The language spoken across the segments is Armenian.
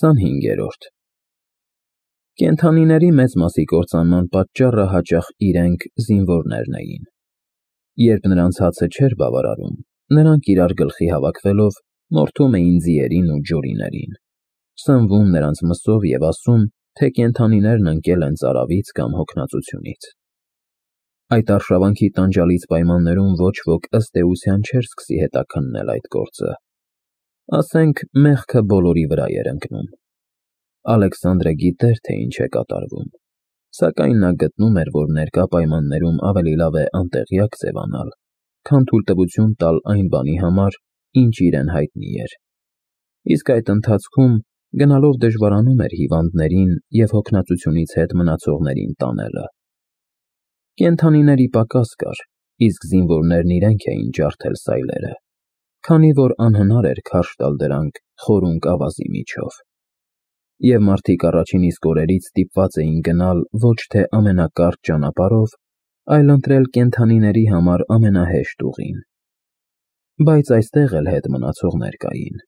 25-րդ Կենդանիների մեծ մասի կործանման պատճառը հաճախ իրենք զինվորներն էին։ Երբ նրանց հացը չէր բավարարում, նրանք իրար գլխի հավաքվելով մորթում էին ձիերին ու ջորիներին, սնվում նրանց մսով և ասում, թե կենդանիներն ընկել են ծարավից կամ հոգնածությունից։ Այդ արշավանքի տանջալից պայմաններում ոչ ոք ըստ էության չէր սկսի հետաքննել այդ գործը։ Ասենք, մեղքը բոլորի վրա էր ընկնում։ Ալեքսանդրը գիտեր, թե ինչ է կատարվում, սակայն նա գտնում էր, որ ներկա պայմաններում ավելի լավ է անտեղյակ ձևանալ, քան թույլտվություն տալ այն բանի համար, ինչ իրեն հայտնի էր։ Իսկ այդ ընթացքում գնալով դժվարանում էր հիվանդներին և հոգնածությունից հետ մնացողներին տանելը։ Կենդանիների պակաս կար, իսկ զինվորներն իրենք էին ջարդել սայլերը, քանի որ անհնար էր քարշ տալ դրանք խորունկ ավազի միջով։ Եվ մարդիկ առաջին իսկ օրերից ստիպված էին գնալ ոչ թե ամենակարճ ճանապարհով, այլ ընտրել կենդանիների համար ամենահեշտ ուղին։ Բայց այստեղ էլ հետ մնացողներ կային,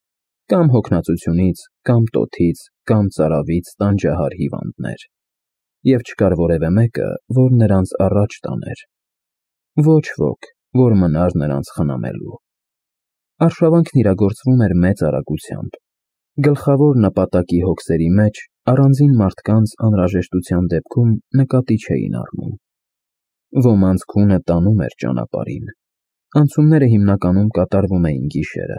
կամ հոգնածությունից, կամ տոթից, կամ ծարավից տանջահար հիվանդներ, և չկար որևէ մեկը, որ նրանց առաջ տաներ։ Ոչ ոք, որ մնար նրանց խնամելու։ Արշավանքն իրագործվում էր մեծ արագությամբ։ Գլխավոր նպատակի հոգսերի մեջ առանձին մարդկանց անհրաժեշտության դեպքում նկատի չէին առնում։ Ոմանց քունը տանում էր ճանապարհին։ Անցումները հիմնականում կատարվում էին գիշերը։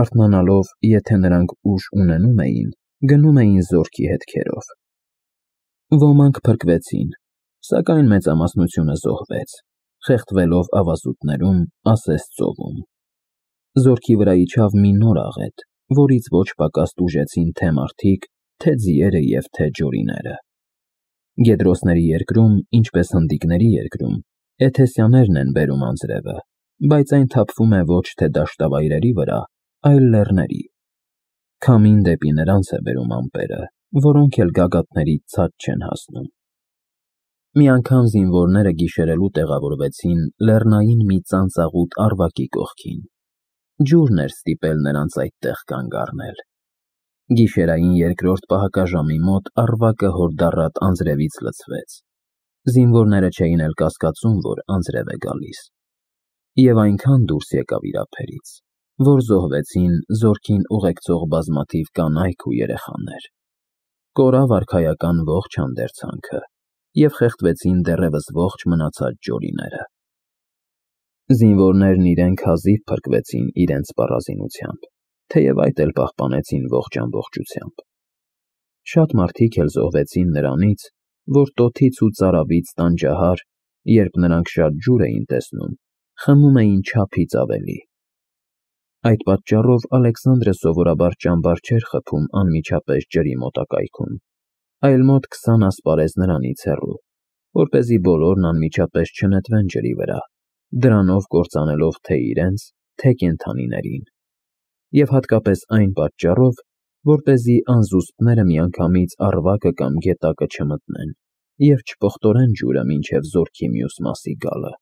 Արթնանալով, եթե նրանք ուժ ունենում էին, գնում էին զորքի հետքերով։ Ոմանք փրկվեցին, սակայն մեծամասնությունը զոհվեց, խեղդվելով ավազուտներում, ասես ծովում։ Զորքի վրա իջավ մի նոր աղետ, որից ոչ պակաս տուժեցին թե մարդիկ, թե ձիերը և թե ջորիները։ Գեդրոսների երկրում, ինչպես հնդիկների երկրում, էթեսյաններն են բերում անձրևը, բայց այն թափվում է ոչ թե դաշտավայրերի վրա, այլ լեռների։ Քամին դեպի նրանց է բերում ամպերը, որոնք էլ գագաթների ցած չեն հասնում։ Մի անգամ զինվորները գիշերելու տեղավորվեցին լեռնային մի ծանծաղուտ առվակի կողքին։ Ջուրն էր ստիպել նրանց այդտեղ կանգ առնել։ Գիշերային երկրորդ պահակաժամի մոտ առվակը հորդառատ անձրևից լցվեց։ Զինվորները չէին էլ կասկածում, որ անձրև է գալիս։ Եվ այնքան դուրս եկավ իրափերից, որ զոհվեցին զորքին ուղեկցող բազմաթիվ կանայք ու երեխաներ։ Կորավ արքայական ողջ հանդերձանքը, և խեղդվեցին դեռևս ողջ մնացած ջորիները։ Զինվորներն իրենք հազիվ փրկվեցին իրենց սպառազինությամբ, թեև այդ էլ պահպանեցին ողջ ամբողջությամբ։ Շատ մարդիկ էլ զոհվեցին նրանից, որ տոթից ու ծարավից տանջահար, երբ նրանք շատ ջուր էին տեսնում, խմում էին չափից ավելի։ Այդ պատճառով Ալեքսանդրը սովորաբար ճամբար չէր խփում անմիջապես ջրի մոտակայքում, այլ մոտ 20 ասպարեզ նրանից հեռու, որպեսզի բոլորն անմիջապես չնետվեն ջրի վրա, դրանով կործանելով թե իրենց, թե կենդանիներին, և հատկապես այն պատճառով, որպեսզի անզուսպները միանգամից առվակը կամ գետակը չմտնեն և չպղտորեն ջուրը մինչև զորքի մյուս մասի գալը։